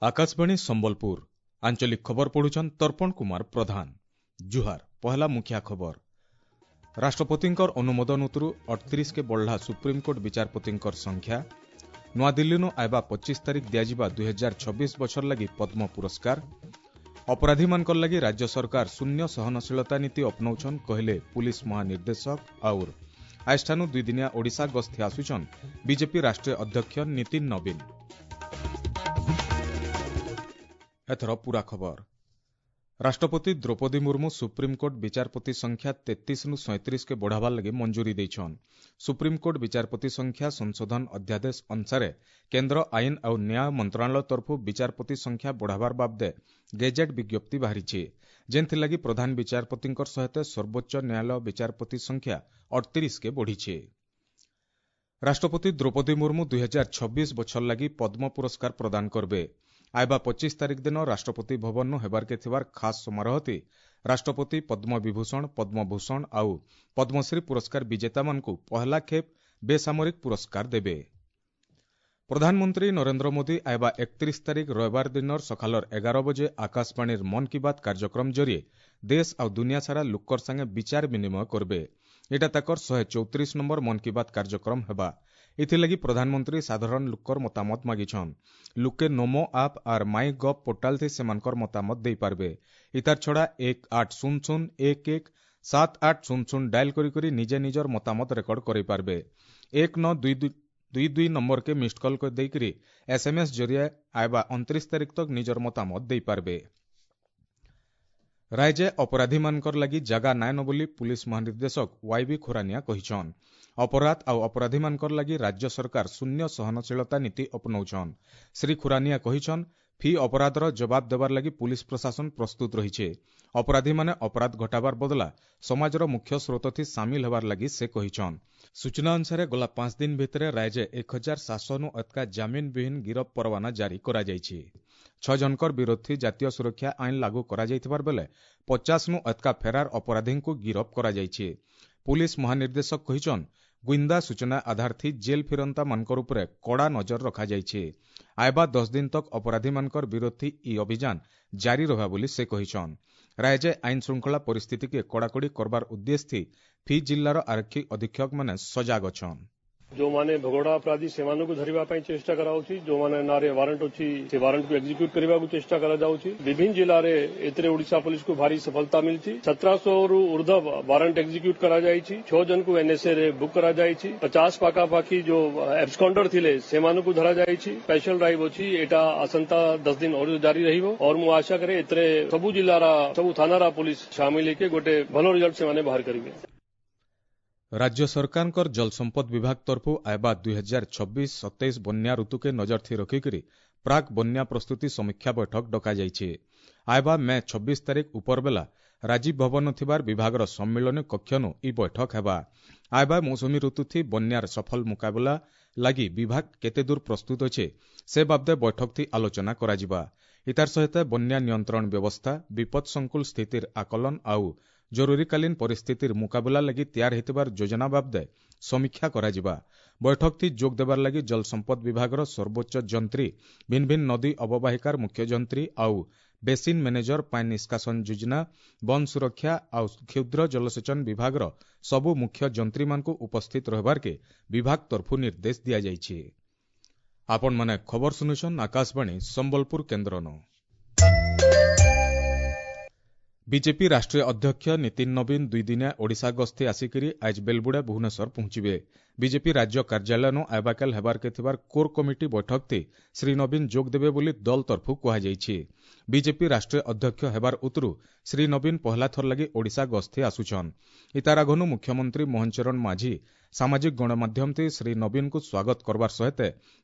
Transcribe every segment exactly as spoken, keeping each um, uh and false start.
ଆକାଶବାଣୀ ସମ୍ବଲପୁର ଆଞ୍ଚଳିକ ଖବର ପଢୁଛନ୍ ତର୍ପଣ କୁମାର ପ୍ରଧାନ। ଜୁହାର। ପହଲା ମୁଖିଆ ଖବର। ରାଷ୍ଟ୍ରପତିଙ୍କର ଅନୁମୋଦନ ଉତରୁ ଅଠତିରିଶକେ ବଢ଼ଲା ସୁପ୍ରିମକୋର୍ଟ ବିଚାରପତିଙ୍କର ସଂଖ୍ୟା। ନୂଆଦିଲ୍ଲୀନୁ ଆଇବା ପଚିଶ ତାରିଖ ଦିଆଯିବା ଦୁଇ ହଜାର ଛବିଶ ବଛର ଲାଗି ପଦ୍ମ ପୁରସ୍କାର। ଅପରାଧୀମାନଙ୍କର ଲାଗି ରାଜ୍ୟ ସରକାର ଶୂନ୍ୟ ସହନଶୀଳତା ନୀତି ଅପନଉଛନ୍ କହିଲେ ପୁଲିସ ମହାନିର୍ଦ୍ଦେଶକ। ଆଉର ଆଜିଠାନୁ ଦୁଇଦିନିଆ ଓଡ଼ିଶା ଗସ୍ତି ଆସୁଛନ୍ ବିଜେପି ରାଷ୍ଟ୍ରୀୟ ଅଧ୍ୟକ୍ଷ ନୀତିନ ନବୀନ। ଏଥର ପୁରା ଖବର। ରାଷ୍ଟ୍ରପତି ଦ୍ରୌପଦୀ ମୁର୍ମୁ ସୁପ୍ରିମକୋର୍ଟ ବିଚାରପତି ସଂଖ୍ୟା ତେତିଶରୁ ସଇଁତିରିଶକେ ବଢ଼ାବାର ଲାଗି ମଞ୍ଜୁରୀ ଦେଇଛନ୍। ସୁପ୍ରିମକୋର୍ଟ ବିଚାରପତି ସଂଖ୍ୟା ସଂଶୋଧନ ଅଧ୍ୟାଦେଶ ଅନୁସାରେ କେନ୍ଦ୍ର ଆଇନ ଆଉ ନ୍ୟାୟ ମନ୍ତ୍ରଣାଳୟ ତରଫରୁ ବିଚାରପତି ସଂଖ୍ୟା ବଢ଼ାବାର ବାବଦେ ଗେଜେଟ୍ ବିଜ୍ଞପ୍ତି ବାହାରିଛି, ଯେନ୍ଥିଲାଗି ପ୍ରଧାନ ବିଚାରପତିଙ୍କର ସହିତ ସର୍ବୋଚ୍ଚ ନ୍ୟାୟାଳୟ ବିଚାରପତି ସଂଖ୍ୟା ଅଠତିରିଶକେ ବଢ଼ିଛି। ରାଷ୍ଟ୍ରପତି ଦ୍ରୌପଦୀ ମୁର୍ମୁ ଦୁଇ ହଜାର ଛବିଶ ବଛର ଲାଗି ପଦ୍ମ ପୁରସ୍କାର ପ୍ରଦାନ କରବେ। ଆଇବା ପଚିଶ ତାରିଖ ଦିନ ରାଷ୍ଟ୍ରପତି ଭବନୁ ହେବାର୍କେ ଥିବାର ଖାସ୍ ସମାରୋହତି ରାଷ୍ଟ୍ରପତି ପଦ୍ମ ବିଭୂଷଣ, ପଦ୍ମଭୂଷଣ ଆଉ ପଦ୍ମଶ୍ରୀ ପୁରସ୍କାର ବିଜେତାମାନଙ୍କୁ ପହଲା ଖେପ୍ ବେସାମରିକ ପୁରସ୍କାର ଦେବେ। ପ୍ରଧାନମନ୍ତ୍ରୀ ନରେନ୍ଦ୍ର ମୋଦି ଆଇବା ଏକତିରିଶ ତାରିଖ ରବିବାର ଦିନର ସକାଳର ଏଗାର ବଜେ ଆକାଶବାଣୀର ମନ୍ କି ବାତ୍ କାର୍ଯ୍ୟକ୍ରମ ଜରିଏ ଦେଶ ଆଉ ଦୁନିଆ ସାରା ଲୋକର ସାଙ୍ଗେ ବିଚାର ବିନିମୟ କରବେ। ଏଇଟା ତାକର ଶହେ ଚଉତିରିଶ ନମ୍ବର ମନ୍ କି ବାତ୍ କାର୍ଯ୍ୟକ୍ରମ ହେବା। ଏଥିଲାଗି ପ୍ରଧାନମନ୍ତ୍ରୀ ସାଧାରଣ ଲୋକର ମତାମତ ମାଗିଛନ୍। ଲୋକେ ନମୋ ଆପ୍ ଆର୍ ମାଇ ଗଭ୍ ପୋର୍ଟାଲ ଥି ସେମାନଙ୍କର ମତାମତ ଦେଇପାରବେ। ଇତାର ଛଡ଼ା ଏକ ଆଠ ଶୂନ ଶୂନ ଏକ ଏକ ସାତ ଆଠ ଶୂନ ଶୂନ ଡାଏଲ କରି କରି ନିଜେ ନିଜର ମତାମତ ରେକର୍ଡ କରିପାରବେ। ଏକ ନଅ ଦୁଇ ଦୁଇ ଦୁଇ ନମ୍ବରକେ ମିସ୍ଡ କଲ୍ କରି ଦେଇକରି ଏସ୍ଏମ୍ଏସ୍ ଜରିଏ ଆଇବା ଅଣତିରିଶ ତାରିଖ ତକ ନିଜର ମତାମତ ଦେଇପାରବେ। ରାଜ୍ୟ ଅପରାଧୀମାନଙ୍କର ଲାଗି ଜାଗା ନାଇନ ବୋଲି ପୁଲିସ ମହାନିର୍ଦ୍ଦେଶକ ୱାଇବି ଖୁରାନିଆ କହିଛନ୍। ଅପରାଧ ଆଉ ଅପରାଧୀମାନଙ୍କର ଲାଗି ରାଜ୍ୟ ସରକାର ଶୂନ୍ୟ ସହନଶୀଳତା ନୀତି ଅପନଉଛନ୍। ଶ୍ରୀ ଖୁରାନିଆ କହିଛନ୍, ଫି ଅପରାଧର ଜବାବ ଦେବାର ଲାଗି ପୁଲିସ ପ୍ରଶାସନ ପ୍ରସ୍ତୁତ ରହିছে। ଅପରାଧୀମାନେ ଅପରାଧ ଘଟାବାର ବଦଲା ସମାଜର ମୁଖ୍ୟ ସ୍ରୋତଥି ସାମିଲ ହେବାର ଲାଗି ସେ କହିଛନ୍। ସୂଚନା ଅନୁସାରେ ଗଲା ପାଞ୍ଚ ଦିନ ଭିତରେ ରାଜ୍ୟ ଏକ ହଜାର ସାତଶହନୁ ଅତକା ଜାମିନ ବିହୀନ ଗିରଫ ପରୱାନା ଜାରି କରାଯାଇଛି। ଛଅ ଜଣଙ୍କର ବିରୋଧୀ ଜାତୀୟ ସୁରକ୍ଷା ଆଇନ ଲାଗୁ କରାଯାଇଥିବାର ବେଲେ ପଚାଶନୁ ଅତକା ଫେରାର ଅପରାଧୀଙ୍କୁ ଗିରଫ କରାଯାଇଛି। ପୁଲିସ ମହାନିର୍ଦ୍ଦେଶକ କହିଛନ୍, ଗୁଇନ୍ଦା ସୂଚନା ଆଧାର ଥି ଜେଲ୍ ଫିରନ୍ତା ମାନଙ୍କର ଉପରେ କଡ଼ା ନଜର ରଖାଯାଇଛି। ଆଇବା ଦଶ ଦିନ ତକ ଅପରାଧୀମାନଙ୍କର ବିରୋଧୀ ଇ ଅଭିଯାନ ଜାରି ରହିବା ବୋଲି ସେ କହିଛନ୍। ରାଜ୍ୟ ଆଇନ ଶୃଙ୍ଖଳା ପରିସ୍ଥିତିକେ କଡ଼ାକଡ଼ି କରବାର ଉଦ୍ଦେଶ୍ୟ ଥି ଫି ଜିଲ୍ଲାର ଆରକ୍ଷୀ ଅଧୀକ୍ଷକମାନେ ସଜାଗ ଅଛନ୍। ଯେଉଁମାନେ ଭଗୋଡ଼ା ଅପରାଧୀ ସେମାନଙ୍କୁ ଧରିବା ପାଇଁ ଚେଷ୍ଟା କରାଯାଉଛି, ଯେଉଁମାନେ ନାଁରେ ୱାରେଣ୍ଟ ଅଛି ସେ ୱାରେଣ୍ଟକୁ ଏକ୍ଜିକ୍ୟୁଟ୍ କରିବାକୁ ଚେଷ୍ଟା କରାଯାଉଛି। ବିଭିନ୍ନ ଜିଲ୍ଲାରେ ଏଥିରେ ଓଡ଼ିଶା ପୋଲିସକୁ ଭାରି ସଫଳତା ମିଳିଛି। ସତରଶହରୁ ଉର୍ଦ୍ଧ୍ୱ ୱାରେଣ୍ଟ ଏକ୍ଜିକ୍ୟୁଟ୍ କରାଯାଇଛି। ଛଅ ଜଣଙ୍କୁ ଏନ୍ଏସ୍ଏ ରେ ବୁକ୍ କରାଯାଇଛି। ପଚାଶ ପାଖାପାଖି ଯୋଉ ଆବସ୍କଣ୍ଡର ଥିଲେ ସେମାନଙ୍କୁ ଧରାଯାଇଛି। ସ୍ପେଶାଲ ଡ୍ରାଇଭ୍ ଅଛି, ଏଇଟା ଆସନ୍ତା ଦଶ ଦିନ ଆହୁରି ଜାରି ରହିବ। और ମୁଁ ଆଶା କରେ ଏଥିରେ ସବୁ ଜିଲ୍ଲାର ସବୁ ଥାନାର ପୋଲିସ ସାମିଲ ହେଇକି ଗୋଟେ ଭଲ ରିଜଲ୍ଟ ସେମାନେ ବାହାର କରିବେ। ରାଜ୍ୟ ସରକାରଙ୍କର ଜଳସମ୍ପଦ ବିଭାଗ ତରଫରୁ ଆଇବା ଦୁଇ ହଜାର ଛବିଶ ସତେଇଶ ବନ୍ୟା ଋତୁକେ ନଜର ଥି ରଖିକରି ପ୍ରାକ୍ ବନ୍ୟା ପ୍ରସ୍ତୁତି ସମୀକ୍ଷା ବୈଠକ ଡକାଯାଇଛି। ଆଇବା ମେ ଛବିଶ ତାରିଖ ଉପରବେଲା ରାଜୀବ ଭବନ ଥିବାର ବିଭାଗର ସମ୍ମିଳନୀ କକ୍ଷନୁ ଇ ବୈଠକ ହେବା। ଆଇବା ମୌସୁମୀ ଋତୁଥି ବନ୍ୟାର ସଫଳ ମୁକାବିଲା ଲାଗି ବିଭାଗ କେତେଦୂର ପ୍ରସ୍ତୁତ ଅଛେ ସେ ବାବଦେ ବୈଠକ ଥି ଆଲୋଚନା କରାଯିବା। ଇତାର ସହିତ ବନ୍ୟା ନିୟନ୍ତ୍ରଣ ବ୍ୟବସ୍ଥା, ବିପଦ ସଂକୁଳ ସ୍ଥିତିର ଆକଳନ ଆଉ ଜରୁରୀକାଳୀନ ପରିସ୍ଥିତିର ମୁକାବିଲା ଲାଗି ତିଆର ହେଇଥିବାର ଯୋଜନା ବାବଦେ ସମୀକ୍ଷା କରାଯିବା। ବୈଠକଥି ଯୋଗ ଦେବାର ଲାଗି ଜଳସମ୍ପଦ ବିଭାଗର ସର୍ବୋଚ୍ଚ ଯନ୍ତ୍ରୀ, ଭିନ୍ନ ଭିନ୍ନ ନଦୀ ଅବବାହିକାର ମୁଖ୍ୟ ଯନ୍ତ୍ରୀ ଆଉ ବେସିନ୍ ମ୍ୟାନେଜର, ପାଣି ନିଷ୍କାସନ ଯୋଜନା, ବନ ସୁରକ୍ଷା ଆଉ କ୍ଷୁଦ୍ର ଜଳସେଚନ ବିଭାଗର ସବୁ ମୁଖ୍ୟ ଯନ୍ତ୍ରୀମାନଙ୍କୁ ଉପସ୍ଥିତ ରହିବାର୍କେ ବିଭାଗ ତରଫରୁ ନିର୍ଦ୍ଦେଶ ଦିଆଯାଇଛି। ଆପଣମାନେ ଖବର ଶୁଣୁଛନ୍ ଆକାଶବାଣୀ ସମ୍ବଲପୁର କେନ୍ଦ୍ରନୁ। ବିଜେପି ରାଷ୍ଟ୍ରୀୟ ଅଧ୍ୟକ୍ଷ ନୀତିନ ନବୀନ ଦୁଇଦିନିଆ ଓଡ଼ିଶା ଗସ୍ତି ଆସିକରି ଆଜ ବେଲବୁଡ଼ା ଭୁବନେଶ୍ୱର ପହଞ୍ଚିବେ। ବିଜେପି ରାଜ୍ୟ କାର୍ଯ୍ୟାଳୟନୁ ଆଇବାକାଲ ହେବାର୍କେ ଥିବାର କୋର୍ କମିଟି ବୈଠକଥି ଶ୍ରୀ ନବୀନ ଯୋଗ ଦେବେ ବୋଲି ଦଳ ତରଫରୁ କୁହାଯାଇଛି। ବିଜେପି ରାଷ୍ଟ୍ରୀୟ ଅଧ୍ୟକ୍ଷ ହେବାର ଉତରୁ ଶ୍ରୀ ନବୀନ ପହଲା ଥର ଲାଗି ଓଡ଼ିଶା ଗସ୍ତି ଆସୁଛନ୍। ଇତାର ଆଗନୁ ମୁଖ୍ୟମନ୍ତ୍ରୀ ମୋହନ ଚରଣ ମାଝୀ ସାମାଜିକ ଗଣମାଧ୍ୟମଥି ଶ୍ରୀ ନବୀନଙ୍କୁ ସ୍ୱାଗତ କରବାର ସହିତ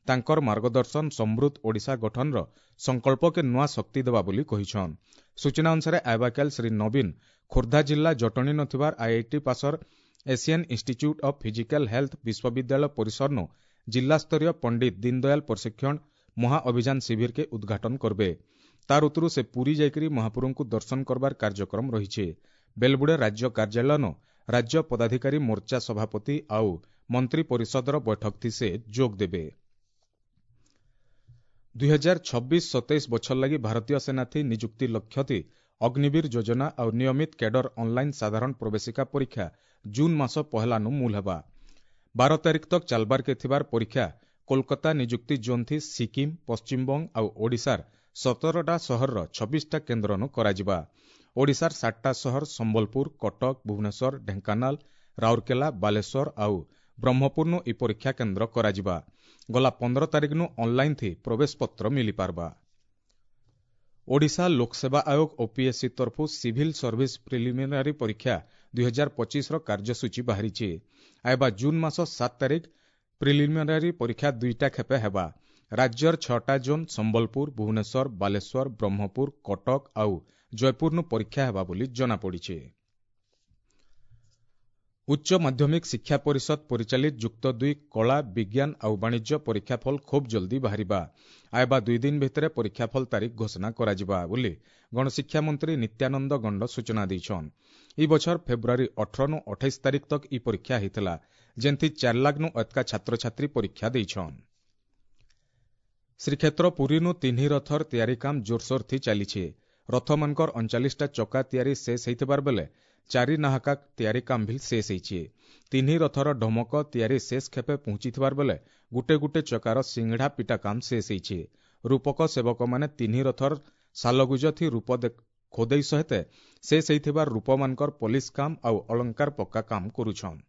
ତାଙ୍କର ମାର୍ଗଦର୍ଶନ ସମୃଦ୍ଧ ଓଡ଼ିଶା ଗଠନର ସଂକଳ୍ପକେ ନୂଆ ଶକ୍ତି ଦେବା ବୋଲି କହିଛନ୍। ସୂଚନା ଅନୁସାରେ ଆଇବାକାଲ ଶ୍ରୀ ନବୀନ ଖୋର୍ଦ୍ଧା ଜିଲ୍ଲା ଜଟଣୀ ନଥିବାର IIT ପାସର Asian Institute of Physical Health ବିଶ୍ୱବିଦ୍ୟାଳୟ ପରିସରନୁ ଜିଲ୍ଲାସ୍ତରୀୟ ପଣ୍ଡିତ ଦୀନଦୟାଲ ପ୍ରଶିକ୍ଷଣ ମହାଅଭିଯାନ ଶିବିରକେ ଉଦ୍ଘାଟନ କରବେ। ତାର ଉତ୍ତରୁ ସେ ପୁରୀ ଯାଇକରି ମହାପ୍ରଭୁଙ୍କୁ ଦର୍ଶନ କରବାର କାର୍ଯ୍ୟକ୍ରମ ରହିଛି। ବେଲବୁଡ଼ା ରାଜ୍ୟ କାର୍ଯ୍ୟାଳୟନୁ ରାଜ୍ୟ ପଦାଧିକାରୀ ମୋର୍ଚ୍ଚା ସଭାପତି ଆଉ ମନ୍ତ୍ରୀ ପରିଷଦର ବୈଠକ ଥି ସେ ଯୋଗ ଦେବେ। ଦୁଇ ହଜାର ଛବିଶ ସତେଇଶ ବଛର ଲାଗି ଭାରତୀୟ ସେନାଥି ନିଯୁକ୍ତି ଲକ୍ଷ୍ୟଥି ଅଗ୍ନିବୀର ଯୋଜନା ଆଉ ନିୟମିତ କ୍ୟାଡର ଅନ୍ଲାଇନ୍ ସାଧାରଣ ପ୍ରବେଶିକା ପରୀକ୍ଷା ଜୁନ୍ ମାସ ପହେଲାନୁ ମୂଲ ହେବା। ବାର ତାରିଖ ତକ୍ ଚାଲବାରକେ ଥିବାର ପରୀକ୍ଷା କୋଲକାତା ନିଯୁକ୍ତି ଜୋନ୍ଥି ସିକିମ୍, ପଶ୍ଚିମବଙ୍ଗ ଆଉ ଓଡ଼ିଶାର ସତରଟା ସହରର ଛବିଶଟା କେନ୍ଦ୍ରନୁ କରାଯିବା। ଓଡ଼ିଶାର ସାତଟା ସହର ସମ୍ବଲପୁର, କଟକ, ଭୁବନେଶ୍ୱର, ଢେଙ୍କାନାଳ, ରାଉରକେଲା, ବାଲେଶ୍ୱର ଆଉ ବ୍ରହ୍ମପୁରନୁ ଇ ପରୀକ୍ଷା କେନ୍ଦ୍ର କରାଯିବା। ଗଲା ପନ୍ଦର ତାରିଖନୁ ଅନ୍ଲାଇନ୍ ଥି ପ୍ରବେଶପତ୍ର ମିଳିପାରବା। ଓଡ଼ିଶା ଲୋକସେବା ଆୟୋଗ ଓପିଏସ୍ସି ତରଫୁ ସିଭିଲ୍ ସର୍ଭିସ ପ୍ରିଲିମିନାରୀ ପରୀକ୍ଷା ଦୁଇ ହଜାର ପଚିଶର କାର୍ଯ୍ୟସୂଚୀ ବାହାରିଛି। ଆଇବା ଜୁନ୍ ମାସ ସାତ ତାରିଖ ପ୍ରିଲିମିନାରୀ ପରୀକ୍ଷା ଦୁଇଟା ଖେପେ ହେବା। ରାଜ୍ୟର ଛଅଟା ଜୋନ୍ ସମ୍ବଲପୁର, ଭୁବନେଶ୍ୱର, ବାଲେଶ୍ୱର, ବ୍ରହ୍ମପୁର, କଟକ ଆଉ ଜୟପୁରନୁ ପରୀକ୍ଷା ହେବା ବୋଲି ଜଣାପଡ଼ିଛି। ଉଚ୍ଚ ମାଧ୍ୟମିକ ଶିକ୍ଷା ପରିଷଦ ପରିଚାଳିତ ଯୁକ୍ତ ଦୁଇ କଳା, ବିଜ୍ଞାନ ଆଉ ବାଣିଜ୍ୟ ପରୀକ୍ଷାଫଳ ଖୁବ୍ ଜଲ୍ଦି ବାହାରିବା। ଆଇବା ଦୁଇ ଦିନ ଭିତରେ ପରୀକ୍ଷାଫଳ ତାରିଖ ଘୋଷଣା କରାଯିବା ବୋଲି ଗଣଶିକ୍ଷା ମନ୍ତ୍ରୀ ନିତ୍ୟାନନ୍ଦ ଗଣ୍ଡ ସୂଚନା ଦେଇଛନ୍। ଇ ବଛର ଫେବୃଆରୀ ଅଠରନୁ ଅଠେଇଶ ତାରିଖ ତକ୍ ଇ ପରୀକ୍ଷା ହେଇଥିଲା, ଯେନ୍ଥି ଚାରି ଲାଖ୍ନୁ ଅତକା ଛାତ୍ରଛାତ୍ରୀ ପରୀକ୍ଷା ଦେଇଛନ୍। ଶ୍ରୀକ୍ଷେତ୍ର ପୁରୀନୁ ତିନି ରଥର ତିଆରି କାମ ଜୋରସୋର ଥି ଚାଲିଛି। ରଥମାନଙ୍କର ଅଣଚାଳିଶଟା ଚକା ତିଆରି ଶେଷ ହେଇଥିବାର ବେଲେ ଚାରି ନାହାକା ତିଆରି କାମ ଭିଲ୍ ଶେଷ ହେଇଛି। ତିନି ରଥର ଢମକ ତିଆରି ଶେଷ ଖେପେ ପହଞ୍ଚିଥିବାର ବେଲେ ଗୁଟେ ଗୁଟେ ଚକାର ସିଙ୍ଗଡ଼ା ପିଟା କାମ ଶେଷ ହେଇଛି। ରୂପକ ସେବକମାନେ ତିନି ରଥର ସାଲଗୁଜ ଥି ରୂପ ଖୋଦେଇ ସହିତ ଶେଷ ହେଇଥିବାର ରୂପମାନଙ୍କର ପଲିସ କାମ ଆଉ ଅଳଙ୍କାର ପକ୍କା କାମ କରୁଛନ୍।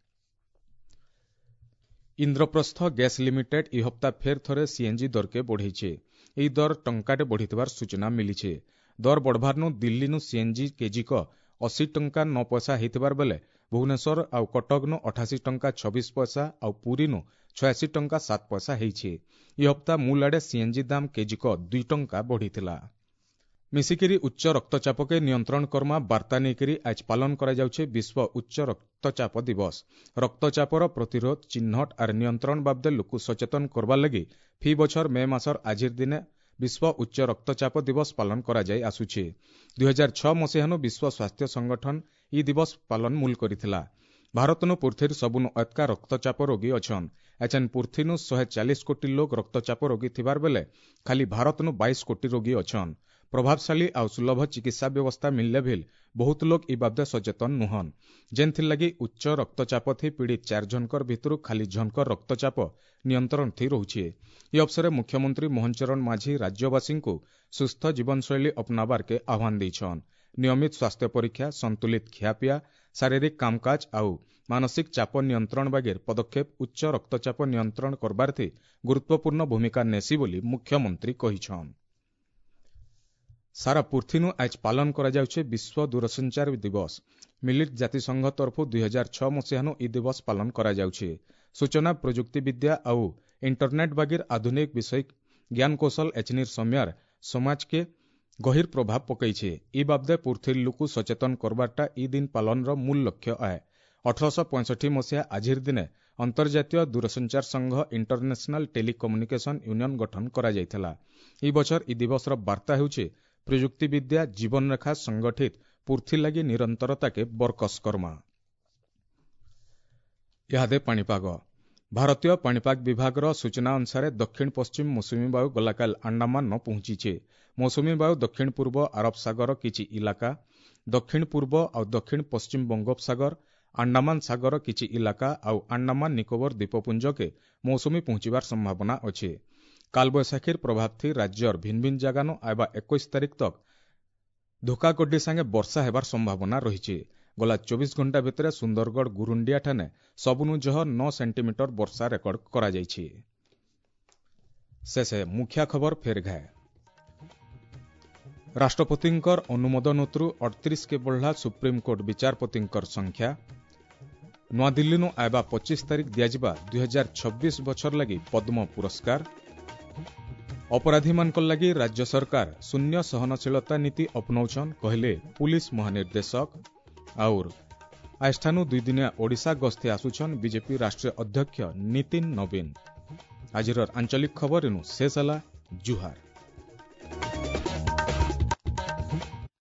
ଇନ୍ଦ୍ରପ୍ରସ୍ଥ ଗ୍ୟାସ୍ ଲିମିଟେଡ୍ ଇ ହପ୍ତା ଫେର୍ ଥରେ ସିଏନ୍ଜି ଦରକେ ବଢ଼େଇছে। ଏହି ଦର ଟଙ୍କାଟେ ବଢ଼ିଥିବାର ସୂଚନା ମିଳିছে। ଦର ବଢ଼ବାରନୁ ଦିଲ୍ଲୀନୁ ସିଏନ୍ଜି କେଜିକ ଅଶୀ ଟଙ୍କା ନଅ ପଇସା ହେଇଥିବାର ବେଲେ ଭୁବନେଶ୍ୱର ଆଉ କଟକନୁ ଅଠାଅଶୀ ଟଙ୍କା ଛବିଶ ପଇସା ଆଉ ପୁରୀନୁ ଛୟାଅଶୀ ଟଙ୍କା ସାତ ପଇସା ହେଇଛି। ଇ ହପ୍ତା ମୂଲ ଆଡ଼େ ସିଏନ୍ଜି ଦାମ କେଜିକ ଦୁଇ ଟଙ୍କା ବଢ଼ିଥିଲା। ମିଶିକିରି ଉଚ୍ଚ ରକ୍ତଚାପକେ ନିୟନ୍ତ୍ରଣ କର୍ମା ବାର୍ତ୍ତା ନେଇକରି ଆଜ ପାଳନ କରାଯାଉଛି ବିଶ୍ୱ ଉଚ୍ଚ ରକ୍ତଚାପ ଦିବସ। ରକ୍ତଚାପର ପ୍ରତିରୋଧ, ଚିହ୍ନଟ ଆର୍ ନିୟନ୍ତ୍ରଣ ବାବଦେ ଲୋକକୁ ସଚେତନ କରବାର ଲାଗି ଫି ବଛର ମେ ମାସର ଆଜିର ଦିନେ ବିଶ୍ୱ ଉଚ୍ଚ ରକ୍ତଚାପ ଦିବସ ପାଳନ କରାଯାଇ ଆସୁଛି। ଦୁଇ ହଜାର ଛଅ ମସିହାନୁ ବିଶ୍ୱ ସ୍ୱାସ୍ଥ୍ୟ ସଂଗଠନ ଇ ଦିବସ ପାଳନ ମୂଲ କରିଥିଲା। ଭାରତନୁ ପୃଥିବୀର ସବୁନୁ ଅତକା ରକ୍ତଚାପ ରୋଗୀ ଅଛନ୍। ଏଛେନ୍ ପୃଥିବୀନୁ ଶହେ ଚାଳିଶ କୋଟି ଲୋକ ରକ୍ତଚାପ ରୋଗୀ ଥିବାର ବେଲେ ଖାଲି ଭାରତନୁ ବାଇଶ କୋଟି ରୋଗୀ ଅଛନ୍। ପ୍ରଭାବଶାଳୀ ଆଉ ସୁଲଭ ଚିକିତ୍ସା ବ୍ୟବସ୍ଥା ମିଳିଲେ ଭିଲ୍ ବହୁତ ଲୋକ ଇ ବାବଦେ ସଚେତନ ନୁହନ୍, ଯେନ୍ଥିର୍ ଲାଗି ଉଚ୍ଚ ରକ୍ତଚାପ ଥି ପୀଡ଼ିତ ଚାରି ଜଣଙ୍କର ଭିତରୁ ଖାଲି ଜଣଙ୍କର ରକ୍ତଚାପ ନିୟନ୍ତ୍ରଣ ଥି ରହୁଛି। ଇ ଅବସରେ ମୁଖ୍ୟମନ୍ତ୍ରୀ ମୋହନ ଚରଣ ମାଝୀ ରାଜ୍ୟବାସୀଙ୍କୁ ସୁସ୍ଥ ଜୀବନଶୈଳୀ ଅପନାବାରକେ ଆହ୍ୱାନ ଦେଇଛନ୍। ନିୟମିତ ସ୍ୱାସ୍ଥ୍ୟ ପରୀକ୍ଷା, ସନ୍ତୁଳିତ ଖିଆପିଆ, ଶାରୀରିକ କାମକାଜ ଆଉ ମାନସିକ ଚାପ ନିୟନ୍ତ୍ରଣ ବାଗିର ପଦକ୍ଷେପ ଉଚ୍ଚ ରକ୍ତଚାପ ନିୟନ୍ତ୍ରଣ କରବାର୍ଥି ଗୁରୁତ୍ୱପୂର୍ଣ୍ଣ ଭୂମିକା ନେସି ବୋଲି ମୁଖ୍ୟମନ୍ତ୍ରୀ କହିଛନ୍। ସାରା ପୃଥିନୁ ଆଜ ପାଳନ କରାଯାଉଛି ବିଶ୍ୱ ଦୂରସଞ୍ଚାର ଦିବସ। ମିଳିତ ଜାତିସଂଘ ତରଫରୁ ଦୁଇ ହଜାର ଛଅ ମସିହାନୁ ଇ ଦିବସ ପାଳନ କରାଯାଉଛି। ସୂଚନା ପ୍ରଯୁକ୍ତିବିଦ୍ୟା ଆଉ ଇଣ୍ଟରନେଟ୍ ବାଗିର ଆଧୁନିକ ବିଷୟ ଜ୍ଞାନକୌଶଳ ଏଚନିର ସମୟାର ସମାଜକେ ଗହିର ପ୍ରଭାବ ପକାଇছে। ଇ ବାବଦେ ପୃଥିବୀର ଲୋକ ସଚେତନ କରବାରଟା ଇ ଦିନ ପାଳନର ମୂଳ ଲକ୍ଷ୍ୟ ଆଏ। ଅଠରଶହ ପଞ୍ଚଷଠି ମସିହା ଆଜିର ଦିନେ ଅନ୍ତର୍ଜାତୀୟ ଦୂରସଞ୍ଚାର ସଂଘ ଇଣ୍ଟରନ୍ୟାସନାଲ ଟେଲିକମ୍ୟୁନିକେସନ ୟୁନିୟନ ଗଠନ କରାଯାଇଥିଲା। ଇ ବଛର ଇ ଦିବସର ବାର୍ତ୍ତା ହେଉଛି ପ୍ରଯୁକ୍ତିବିଦ୍ୟା ଜୀବନରେଖା ସଂଗଠିତ ପୃଥ୍ୱୀ ଲାଗି ନିରନ୍ତରତାକେ ବରକସ କର୍ମା। ଇହାଦେ ପାଣିପାଗ। ଭାରତୀୟ ପାଣିପାଗ ବିଭାଗର ସୂଚନା ଅନୁସାରେ ଦକ୍ଷିଣ ପଶ୍ଚିମ ମୌସୁମୀ ବାୟୁ ଗଲାକାଲ ଆଣ୍ଡାମାନ ପହଞ୍ଚିছে। ମୌସୁମୀ ବାୟୁ ଦକ୍ଷିଣ ପୂର୍ବ ଆରବ ସାଗର କିଛି ଇଲାକା, ଦକ୍ଷିଣ ପୂର୍ବ ଆଉ ଦକ୍ଷିଣ ପଶ୍ଚିମ ବଙ୍ଗୋପସାଗର, ଆଣ୍ଡାମାନ ସାଗର କିଛି ଇଲାକା ଆଉ ଆଣ୍ଡାମାନ ନିକୋବର ଦ୍ୱୀପପୁଞ୍ଜକେ ମୌସୁମୀ ପହଞ୍ଚିବାର ସମ୍ଭାବନା ଅଛି। କାଲବୈଶାଖୀର ପ୍ରଭାବ ଥି ରାଜ୍ୟର ଭିନ୍ନ ଭିନ୍ନ ଜାଗାନୁ ଆଇବା ଏକୋଇଶ ତାରିଖ ତକ ଧୋକାଗଡ୍ଡି ସାଙ୍ଗେ ବର୍ଷା ହେବାର ସମ୍ଭାବନା ରହିଛି। ଗଲା ଚବିଶ ଘଣ୍ଟା ଭିତରେ ସୁନ୍ଦରଗଡ଼ ଗୁରୁଣ୍ଡିଆ ଠାନେ ସବୁନୁ ଜହ ନଅ ସେଣ୍ଟିମିଟର ବର୍ଷା ରେକର୍ଡ କରାଯାଇଛି। ଶେଷେ ମୁଖ୍ୟ ଖବର ଫେର ଘାଏ। ରାଷ୍ଟ୍ରପତିଙ୍କର ଅନୁମୋଦନରୁ ଅଠତିରିଶ କେ ବଢ଼ଲା ସୁପ୍ରିମକୋର୍ଟ ବିଚାରପତିଙ୍କର ସଂଖ୍ୟା। ନୂଆଦିଲ୍ଲୀନୁ ଆଇବା ପଚିଶ ତାରିଖ ଦିଆଯିବା ଦୁଇ ହଜାର ଛବିଶ ବଛର ଲାଗି ପଦ୍ମ ପୁରସ୍କାର। ଅପରାଧୀମାନଙ୍କ ଲାଗି ରାଜ୍ୟ ସରକାର ଶୂନ୍ୟ ସହନଶୀଳତା ନୀତି ଅପନାଉଛନ୍ କହିଲେ ପୁଲିସ ମହାନିର୍ଦ୍ଦେଶକ। ଆଉର ଆଜିଠାନୁ ଦୁଇଦିନିଆ ଓଡ଼ିଶା ଗସ୍ତେ ଆସୁଛନ୍ ବିଜେପି ରାଷ୍ଟ୍ରୀୟ ଅଧ୍ୟକ୍ଷ ନୀତିନ ନବୀନ। ଆଜିର ଆଞ୍ଚଳିକ ଖବର ଏନୁ ଶେଷ ହେଲା। ଜୁହାର।